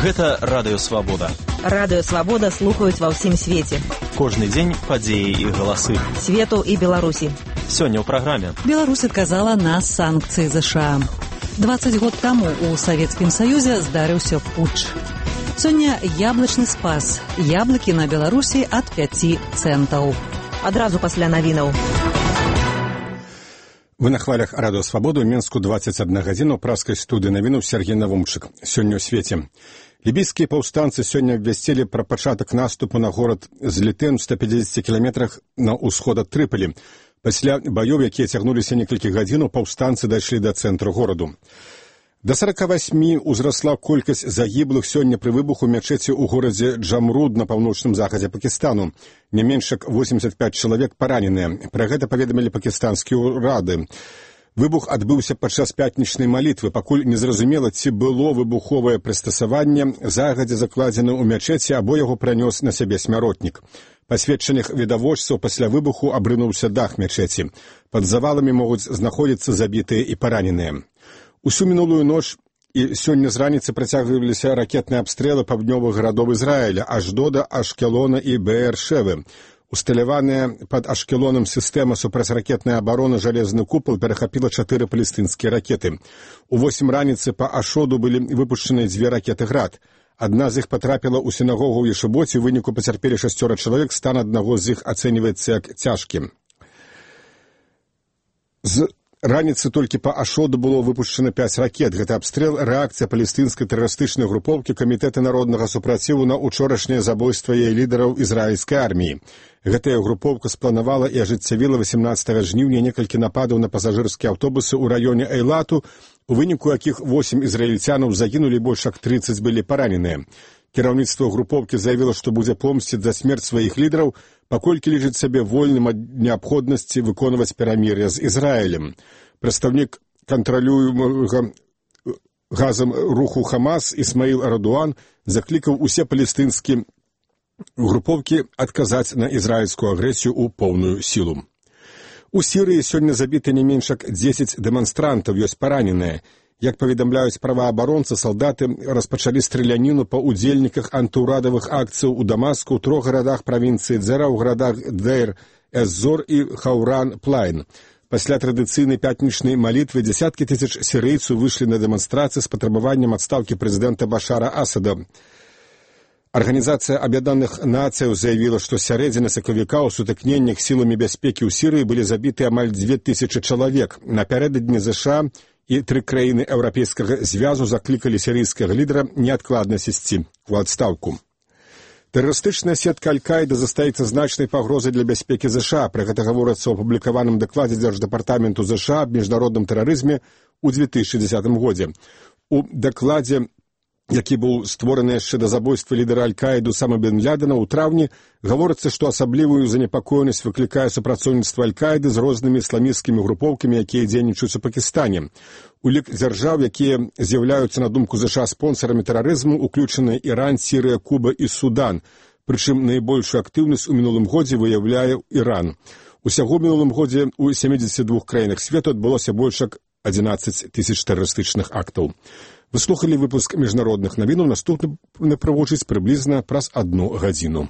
Гэта Радыё Свабода. Радыё Свабода слухаюць ва ўсім свеце. Кожны дзень падзеі і галасы. Свету і Беларусі. Сёння ў праграме. Беларусь адказала на санкцыі ЗША. 20 год таму ў Савецкім Саюзе здарыўся путч. Сёння яблычны спас. Яблыкі на Беларусі ад 5 цэнтаў. Адразу пасля навінаў. Вы на хвалях Радыё Свабоду, Менску 21 гадзіну, праскай студыі навінаў Сергей Навумчык. Сёння ў свеце. Лібійскія паўстанцы сёння абвясцілі пра пачатак наступу на горад Злітэн у 150 кіламетрах на ўсход ад Трыполі. Пасля баёў, якія цягнуліся некалькі гадзінаў, паўстанцы дайшлі да цэнтру гораду. Да 48 узрасла колькасць загіблых сёння пры выбуху мячэці ў горадзе Джамруд на паўночным захадзе Пакістану. Не менш як 85 чалавек параненыя. Пра гэта паведамілі пакістанскія ўрады. Выбух адбыўся падчас пятнічнай малітвы, пакуль незразумела, ці было выбуховае прыстасаванне загадзя закладзена ў мячэці, або яго пранёс на сябе смяротнік. Па сведчаннях відавочцаў, пасля выбуху абрынуўся дах мячэці. Пад заваламі могуць знаходзіцца забітыя і параненыя. Усю мінулую ноч і сёння з раніцы працягваліся ракетныя абстрэлы паўднёвых гарадоў Ізраіля, Аждода, Ашкелона і Беэр-Шевы. Усталяваная пад Ашкелонам сістэма супрацьракетнай абароны «Жалезны купал» перахапіла 4 палестынскія ракеты. У 8 раніцы па Ашоду былі выпушчаны 2 ракеты «Град». Адна з іх патрапіла ў сінагогу ў Ешыбоце, у выніку пацярпелі 6 чалавек, стан аднаго з іх ацэньваецца як цяжкі. З раніцы толькі па Ашоду было выпушчана 5 ракет. Гэта абстрэл, рэакцыя палестынскай тэрарыстычнай групоўкі Камітэта народнага супраціву на учорашняе забойства яе лідараў ізраільскай арміі. Гэтая групоўка спланавала і ажыццявіла 18 жніўня некалькі нападаў на пасажырскія аўтобусы ў раёне Эйлату, у выніку якіх 8 ізраільцянаў загінулі, больш як 30 былі параненыя. Кіраўніцтва групоўкі заявіла, што будзе помсціць за смерць сваіх лідараў, паколькі лічыць сябе вольным ад неабходнасці выконваць перамір'е з Ізраілем. Прадстаўнік кантралюемага газам руху Хамас Ісмаіл Радуан заклікаў усе палестынскія групоўкі адказаць на ізраільскую агрэсію ў поўную сілу. У Сірыі сёння забіты не менш як 10 дэманстрантаў, ёсць параненыя. Як паведамляюць праваабаронцы, салдаты распачалі страляніну па ўдзельніках антыўрадавых акцыяў у Дамаску, ў 3 гарадах правінцыі Дзера, ў гарадах Дейр-эз-Зор і Хаўран-Плайн. Пасля традыцыйнай пятнічнай малітвы дзесяткі тысяч сірыйцаў выйшлі на дэманстрацыі з патрабаваннем адстаўкі прэзідэнта Башара Асада. Арганізацыя Аб'яднаных Нацыяў заявіла, што з сярэдзіны сакавіка ў сутыкненнях сіламі бяспекі ў Сірыі былі забіты амаль 2000 чалавек. Напярэдадні ЗША і 3 краіны Еўрапейскага звязу заклікалі сірыйскага лідара неадкладна сысці ў адстаўку. Тэрарыстычная сетка Аль-Каіда застаецца значнай пагрозай для бяспекі ЗША. Пра гэта гаворыцца ў апублікаваным дакладзе Дзярждэпартаменту ЗША аб міжнародным тэрарызме ў 2010 годзе. У дакладзе, які быў створаны яшчэ да забойства лідара Аль-Каіду Осамы бен Лядена ў траўні, гаворыцца, што асаблівую занепакоенасць выклікае супрацоўніцтва Аль-Каіды з рознымі ісламісцкімі групоўкамі, якія дзейнічаюць у Пакістане. У лік дзяржаў, якія з'яўляюцца, на думку ЗША, спонсарамі тэрарызму, уключаны Іран, Сірыя, Куба і Судан. Прычым найбольшую актыўнасць у мінулым годзе выяўляе Іран. Усяго ў мінулым годзе ў 72 краінах свету адбылося больш як 11 тысяч тэрарыстычных актаў. Вы слухалі выпуск міжнародных навінаў, наступны праводзіць прыблізна праз 1 гадзіну.